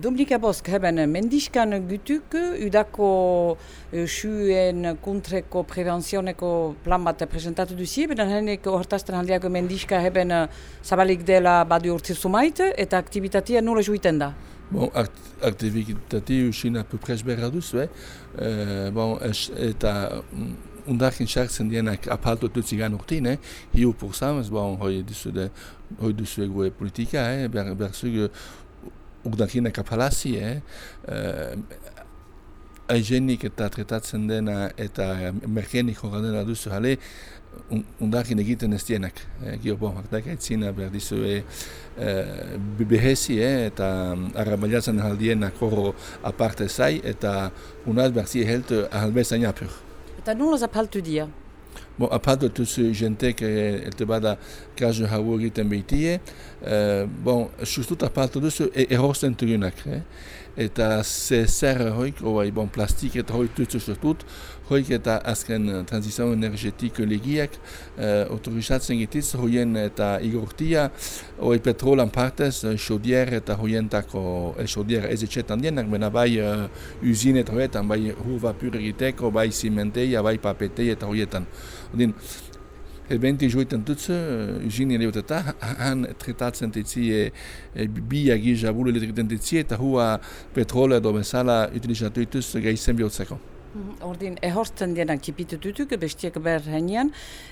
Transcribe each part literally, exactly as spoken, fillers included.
Dominika Bosk, heben mendiskan gütuk, udako suen kontreko preventzioneko plan bat presentatu duzie, beden henek hortazten handiako mendiska heben zabalik dela badu urtzi sumait, eta aktivitatea nola juiten da? Bon, aktivitatea usin apupres berra duzu, eh? Uh, bon, es, eta undakin sartzen dienak apalto tutzigan urtin, eh? Hiu pursams, bon, hoi duzu de, hoi duzu egoe politika, eh? Ber, berzug urdakinak apalasi, eh? Uh, Aigenik eta tretatzen dena eta merkenik horren dena duzu jale, undakin egiten ez dienak. Eh? Gio, bon, hartak aitzina behar dizu e, uh, behezi, eh? Eta arrabaliatzen aldienak horro aparte zai, eta unaz behar zi helt ahalbezain apur. Eta nola zapaltu dia? Bon, apaltu tuzu jentek elte bada kazu hau egiten behitie, uh, bon, sustut apaltu duzu e erorsten turunak, eh? Eta ze zer hoik, oai, bon, plastik eta hoik tutsu sustut, hoik eta azken transizion energetik legiak uh, autorizatzen gitiz, hoien eta igortia, oai petrolan partez, xodier eta hoientako, el xodier ez etxetan dienak, bena bai uh, usine eta hoietan, bai hur vapur egiteko, bai zimenteia, bai papetei eta hoietan. Odin, Ebenti joiten tutsu, usine leuteta, han tretatzen tetzie e, biagi jabulu elektriten tetzie, eta hua petrole edo bezala utilizatu ituz gaizen bihotzeko. Ordin, ehortzen dienak tipitututuk, bestiek behar henian,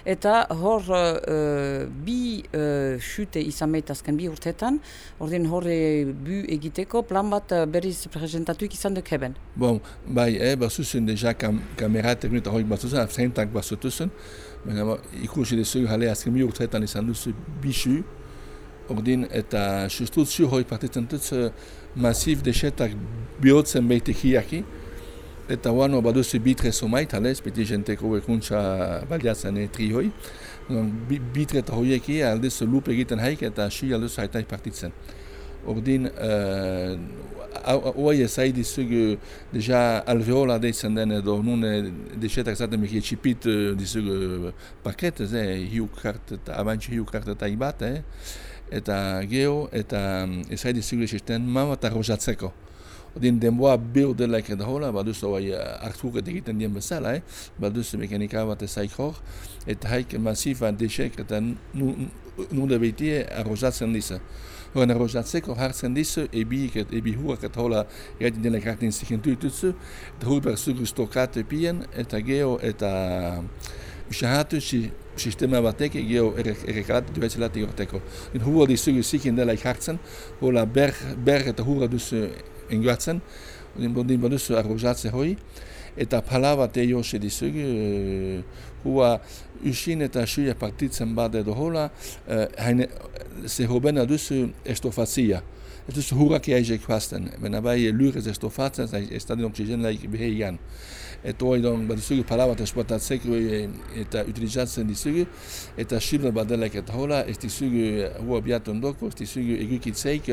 eta hor uh, bi uh, xute izan meitazken bi urtetan, ordin horre bu egiteko plan bat uh, berriz presentatuik izan duk heben. Bon, bai, eh, basuzun deja kam, kamera teknik horik basuzun, afzentak basutuzun, ikusi dezu jale azken bi urtetan izan duzu bisu, ordin, eta justut zu hori partitzen dutz masif desetak bihotzen beitek hiaki, eta wano baduzu bitre somait, halez, beti jenteko ekuntza baliatzen tri hoi. Bitre eta hoieki aldezu lup egiten haik eta xui aldezu haitaik partitzen. Ordin, oai ezai dizugu deja alveola deitzen den edo nune desetak zaten meki etxipit dizugu paketez, eh, hiu kart eta abantxu hiu kart eta ibat, eh, eta geho, eta ezai dizugu desisten mama eta rojatzeko. Odin denboa bil delaik eta hola, baduzu oai hartuket egiten dien bezala, eh? Baduzu mekanika bat ezaik hor, eta haik masifa desek eta nude behitie arrozatzen dizu. Horren arrozatzeko hartzen dizu, ebik et ebi huak eta hola egiten delaik hartin zikentu ituzu, eta hur berzugu stokate pien, eta geho eta usahatu si sistema batek geho errekalatu duetzelati horteko. Hur dizugu ziken delaik hartzen, hola ber, ber eta hurra duzu engatzen, odin baduzu arrozatze hoi, eta pala bat eose dizugu, hua usin eta suia partitzen bat edo hola, haine, ze hobena duzu estofazia. Ez duzu hurak jaizek fasten, bena bai lurez estofatzen, ez da den oksigen laik beheian. Eta hoi don, baduzugu pala bat esportatzeko eta utilizatzen dizugu, eta silber bat delaik eta hola, ez dizugu hua biatun doko, ez dizugu egukitzeik,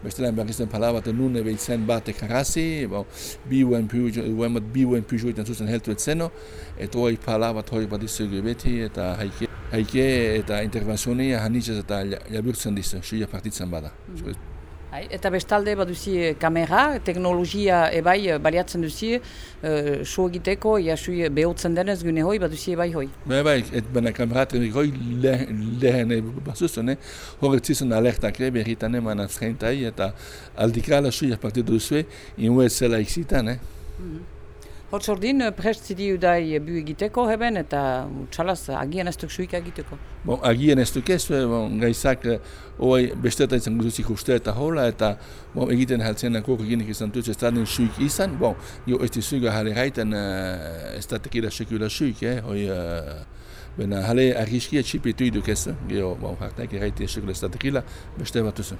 bestelen berrizten pala bat nune behitzen bat ekarasi, bon, bi uen pujo iten zuzen heltu etzeno, eta hoi pala bat hoi bat dizugu beti, eta haike, haike eta intervenzionia hanitzez eta jaburtzen dizu, suia partitzen bada. Mm. Eta bestalde baduzi kamera, teknologia ebai baliatzen duzi, uh, so egiteko, iasui behotzen denez gune hoi, baduzi ebai hoi. Bai, bai, et bena kamera teknik hoi lehen basuzten, horretzizun alertak berritan eman atzreintai, eta aldikala suia partitu duzue, inue zela iksitan, eh? Mm-hmm. Hortz ordin, prest zidi udai bu egiteko heben, eta txalaz agian ez duk suika egiteko. Bon, agian ez duk ez, bon, gaizak oai besteta izan guzuzik uste eta hola, eta bon, egiten haltzen akok eginik izan dutz ez da den suik izan, bon, jo ez dizuga jale raiten uh, ez da tekila sekula suik, eh, hoi, uh, bena jale arriskia txipitu iduk ez, geho, bon, hartak erraite sekula ez da tekila, beste bat duzu.